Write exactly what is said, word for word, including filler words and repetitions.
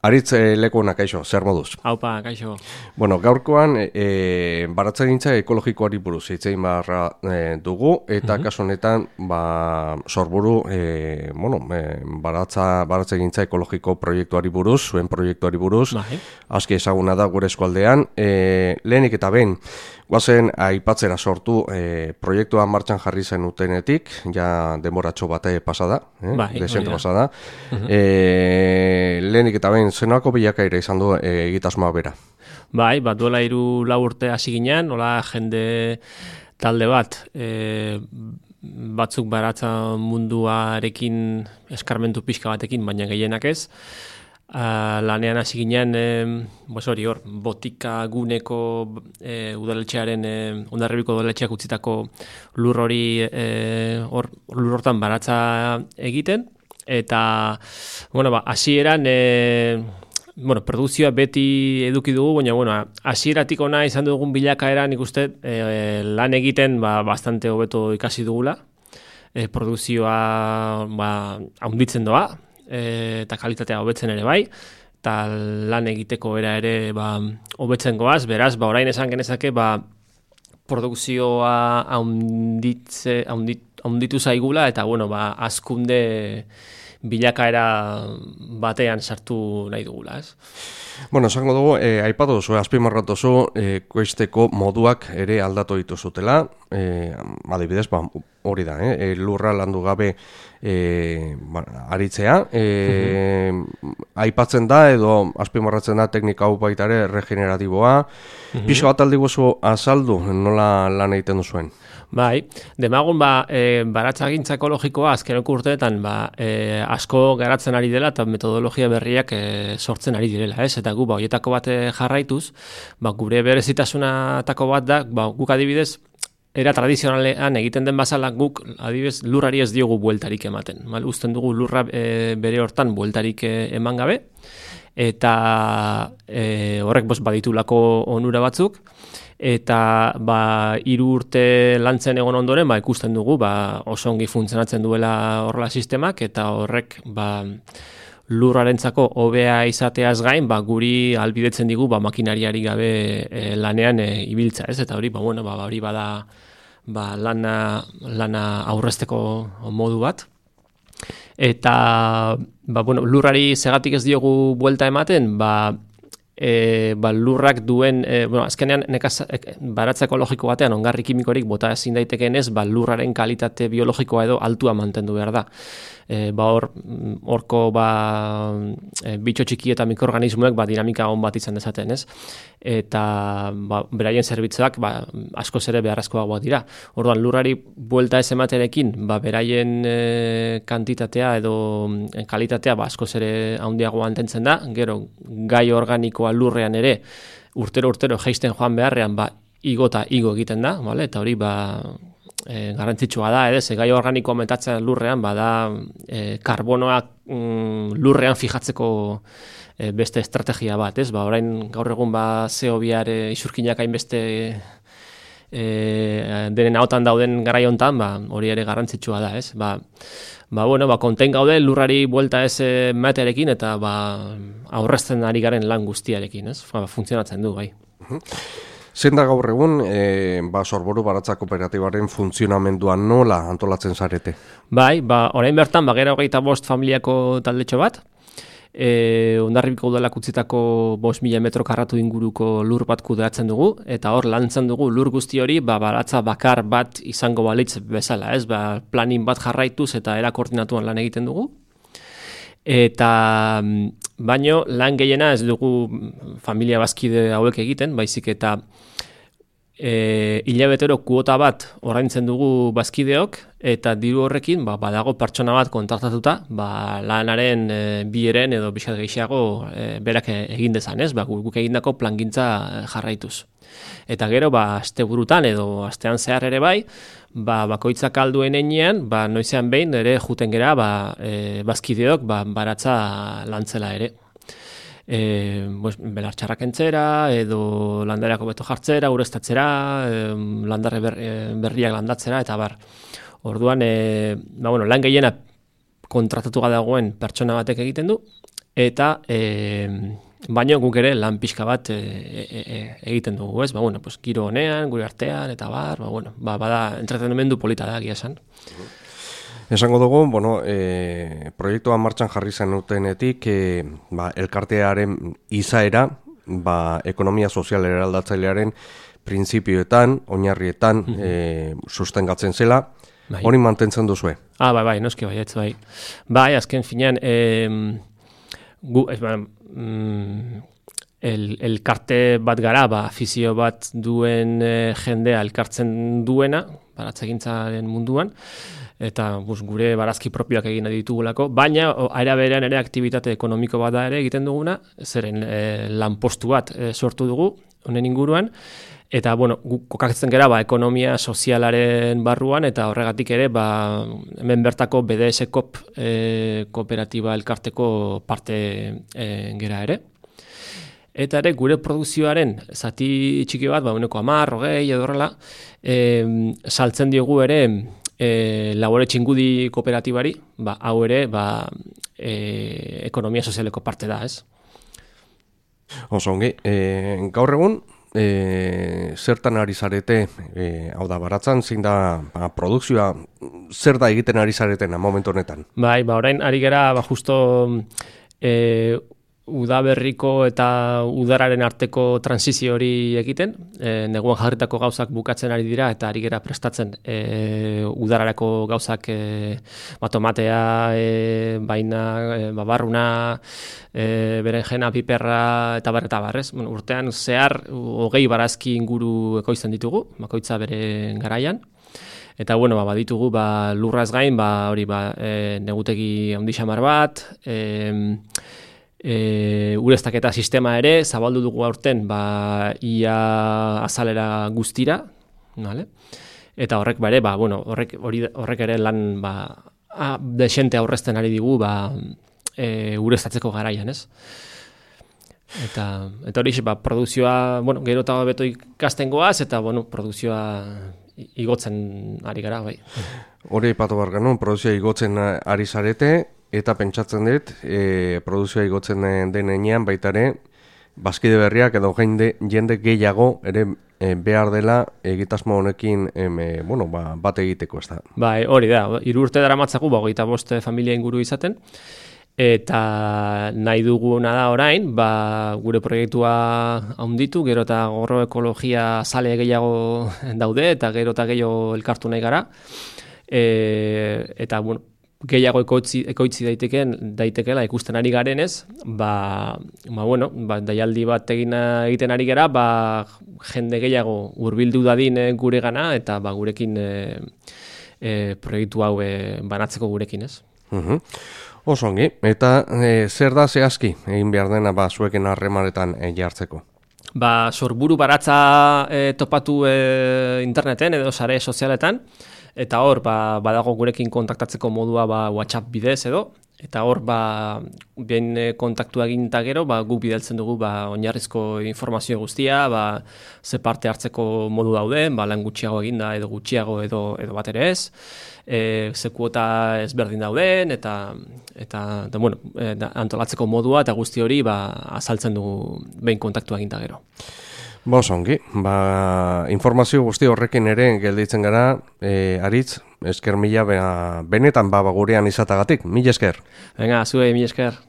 Aritz e, Lekuona, kaixo, zer moduz? Haupa, kaixo. Bueno, gaurkoan e, baratzegintza ekologikoari buruz hitz egin beharra e, dugu, eta mm-hmm. kasu honetan ba, sorburu e, bueno, e, baratza, baratzegintza ekologiko proiektuari buruz, zuen proiektuari buruz, bai. Aski ezaguna da gure eskualdean. E, lehenik eta behin, guazen aipatzera sortu e, proiektua martxan jarri zen utenetik, ja denboratxo bate pasada, eh? Bai, desente pasada. Mm-hmm. E, lehenik eta behin, zenako bilakaira izan du e, egitasmoa bera? Bai, bat duela hiru lau urte hasi ginen, nola jende talde bat, e, batzuk baratza munduarekin eskarmentu pixka batekin, baina gehienak ez. Uh, lanean hasi ginen, eh, bos hori hor, botika guneko eh, udaletxearen, eh, Hondarribiko udaletxeak utzitako lur hori eh, hor, lur hortan baratza egiten, eta, bueno, ba, hasieran eh, bueno, produkzioa beti eduki dugu, baina, bueno, hasieratik ona izan dugun bilakaera, nik uste, eh, lan egiten, ba, bastante hobeto ikasi dugula, eh, produkzioa, ba, haunditzen doa, eta kalitatea hobetzen ere bai, eta lan egiteko era ere ba, hobetzen goaz, beraz, ba, orain esan genezake, ba, produkzioa haunditze, haundit, haunditu zaigula, eta, bueno, ba, azkunde bilakaera batean sartu nahi dugula, ez? Bueno, esango dugu, eh, aipatu duzu, azpimarratu duzu, eh, koizteko moduak ere aldatu dituzutela, eh, adibidez, ba, hori da, eh, lurra landu gabe eh, ba, aritzea, eh, uh-huh. aipatzen da edo azpimarratzen da teknika hau baita ere regeneratiboa, uh-huh. Pixo bat aldi guzu azaldu, nola lan egiten duzuen? Bai, demagun ba, e, baratzagintza ekologikoa azkeneko urteetan ba, e, asko garatzen ari dela eta metodologia berriak e, sortzen ari direla, ez? Eta gu ba, horietako bat jarraituz, ba, gure berezitasunatako bat da, ba, guk adibidez, era tradizionalean egiten den bazala guk adibidez lurrari ez diogu bueltarik ematen. Mal, uzten dugu lurra e, bere hortan bueltarik e, eman gabe, eta e, horrek bos, baditulako onura batzuk, eta ba, hiru urte lantzen egon ondoren ba, ikusten dugu ba, oso ongi funtzionatzen duela horrela sistemak, eta horrek ba, lurrarentzako hobea izateaz gain, ba, guri albidetzen digu ba, makinariari gabe e, lanean e, ibiltza, ez? Eta hori, ba, bueno, ba, hori bada ba, lana, lana aurrezteko modu bat. Eta ba, bueno, lurrari segatik ez diogu buelta ematen, ba, E, ba, lurrak duen, e, bueno, azkenean nekaz, e, baratza ekologiko batean ongarri kimikorik bota ezin daitekeen ez, ba, lurraren kalitate biologikoa edo altua mantendu behar da. E, ba, hor, horko ba, e, bitxo txiki eta mikroorganismoek ba, dinamika on bat izan dezaten, ez? Eta ba, beraien zerbitzuak ba, askoz ere beharrezkoagoak dira. Orduan, lurrari buelta ez ematerekin, ba, beraien e, kantitatea edo e, kalitatea ba, askoz ere handiago mantentzen da, gero gai organikoa lurrean ere urtero-urtero jaisten joan beharrean ba, igo eta igo egiten da, vale? Eta hori ba, e, garrantzitsua da, edo, ze gai organikoa metatzen lurrean, bada e, karbonoak mm, lurrean fijatzeko e, beste estrategia bat, ez? Ba, orain gaur egun ba, C O biar e, isurkinak hainbeste e, denen ahotan dauden garai hontan, ba, hori ere garrantzitsua da, ez? Ba, ba, bueno, ba, konten gaude lurrari buelta ez matearekin eta ba, aurrezten ari garen lan guztiarekin, ez? Ba, funtzionatzen du, bai. Zein da gaur egun, e, ba, Sorboru Baratza Kooperatibaren funtzionamendua nola antolatzen zarete? Bai, ba, orain bertan, ba, gero hogeita bost familiako taldetxo bat, e, Hondarribiko udalak utzitako bost mila metro karratu inguruko lur bat kudeatzen dugu, eta hor lantzen dugu lur guzti hori, ba, baratza bakar bat izango balitz bezala, ez? Ba, planin bat jarraituz eta era koordinatuan lan egiten dugu. Eta baino lan gehiena ez dugu familia bazkide hauek egiten, baizik eta e, hilabetero kuota bat ordaintzen dugu bazkideok, eta diru horrekin ba, badago pertsona bat kontraktatuta, ba, lanaren e, bieren edo bizkat gehiago e, berak egin dezan, ez? Ba, guk egindako plangintza jarraituz. Eta gero, ba, asteburutan edo astean zehar ere bai, ba, bakoitzak alduen enean, ba, noizean behin ere juten gera, ba, e, bazkideok, ba, baratza lantzela ere. E, pues, belartxarrak entzera, edo landareako beto jartzera, ureztatzera, e, landarre ber, e, berriak landatzera, eta bar. Orduan, e, ba, bueno, lan gehiena kontratatu dagoen pertsona batek egiten du, eta e, baina guk ere lan pixka bat e, e, e, egiten dugu, ez? Ba, bueno, pues, giro honean, gure artean, eta bar, ba, bueno, ba, bada entretenimendu polita da, gia esan. Esango dugu, bueno, e, proiektua martxan jarri zenutenetik, e, ba, elkartearen izaera, ba, ekonomia sozial eraldatzailearen printzipioetan, oinarrietan mm -hmm. e, sustengatzen zela, bai. Hori mantentzen duzue? Ah, bai, bai, noski bai, ez bai. Bai, azken finean, e, gu, ez, ba, mm, el, elkarte bat gara, ba, afizio bat duen e, jendea elkartzen duena, baratzegintzaren munduan, eta bus, gure barazki propioak egin ditugulako, baina aira berean ere aktibitate ekonomiko bat da ere egiten duguna, zeren e, lanpostu bat e, sortu dugu, honen inguruan, eta bueno, guk kokatzen gara ba, ekonomia sozialaren barruan, eta horregatik ere ba, hemen bertako B D S Kop e, kooperatiba elkarteko parte e, gera ere. Eta ere gure produkzioaren zati txiki bat, ba, uneko hamar, hogei edo horrela, e, saltzen diogu ere E, labore txingudi kooperatibari, ba, hau ere ba, e, ekonomia sozialeko parte da, ez? Oso ongi, e, gaur egun, e, zertan ari zarete, e, hau da, baratzan, zein da ba, produkzioa, zer da egiten ari zaretena momentu honetan? Bai, ba, orain ari gara, ba, justo e, udaberriko eta udararen arteko transizio hori egiten, e, neguan jarritako gauzak bukatzen ari dira eta ari gera prestatzen e, udararako gauzak e, ba, tomatea, e, baina, e, babarruna, e, berenjena, piperra eta bar eta barrez. Bueno, urtean zehar hogei barazki inguru ekoizten ditugu, bakoitza bere garaian. Eta bueno, ba, baditugu ba, lurraz gain, ba, hori ba, e, negutegi handi xamar bat, e, E, ureztaketa sistema ere, zabaldu dugu aurten, ba, ia azalera guztira, vale? Eta horrek bare, ba, bueno, horrek, horrek ere lan ba, a, desente aurrezten ari digu ba, e, ureztatzeko garaian, ez? Eta, eta hori, ba, produzioa, bueno, gero eta beto ikasten goaz, eta, bueno, produzioa igotzen ari gara, bai. Hori ipatu behar genuen, produzioa igotzen ari zarete, eta pentsatzen dut, e, produzioa igotzen denean baita ere, bazkide berriak edo jende, jende gehiago ere e, behar dela egitasmo honekin em, e, bueno, ba, bat egiteko, ez da. Bai, hori da, hiru urte dara matzagu, ba, hogeita bost familia inguru izaten, eta nahi duguna da orain, ba, gure proiektua handitu, gero eta gorro ekologia sale gehiago daude, eta gero eta gehiago elkartu nahi gara, e, eta, bueno, gehiago ekoitzi, ekoitzi daiteken, daitekela ikusten ari garenez, ba, ba, bueno, ba, daialdi bat egin egiten ari gara, ba, jende gehiago hurbildu dadin gure gana, eta ba, gurekin e, e, proiektu hau e, banatzeko gurekin, ez? Uh-huh. Oso ongi, eta e, zer da zehazki egin behar dena ba, zuekin harremanetan e, jartzeko? Ba, sorburu baratza e, topatu e, interneten edo sare sozialetan, eta hor, ba, badago gurekin kontaktatzeko modua ba, WhatsApp bidez edo, eta hor, ba, behin kontaktu egin eta gero, ba, guk bidaltzen dugu ba, oinarrizko informazio guztia, ba, ze parte hartzeko modu dauden, ba, lan gutxiago eginda edo gutxiago edo, edo bat ere ez, e, ze kuota ezberdin dauden, eta, eta da, bueno, e, da, antolatzeko modua eta guzti hori ba, azaltzen dugu behin kontaktu egin eta gero. Ba, ongi, ba, informazio guzti horrekin ere gelditzen gara, e, Aritz, esker mila, benetan ba, gurean izatagatik, mila esker. Venga, zue, mila esker.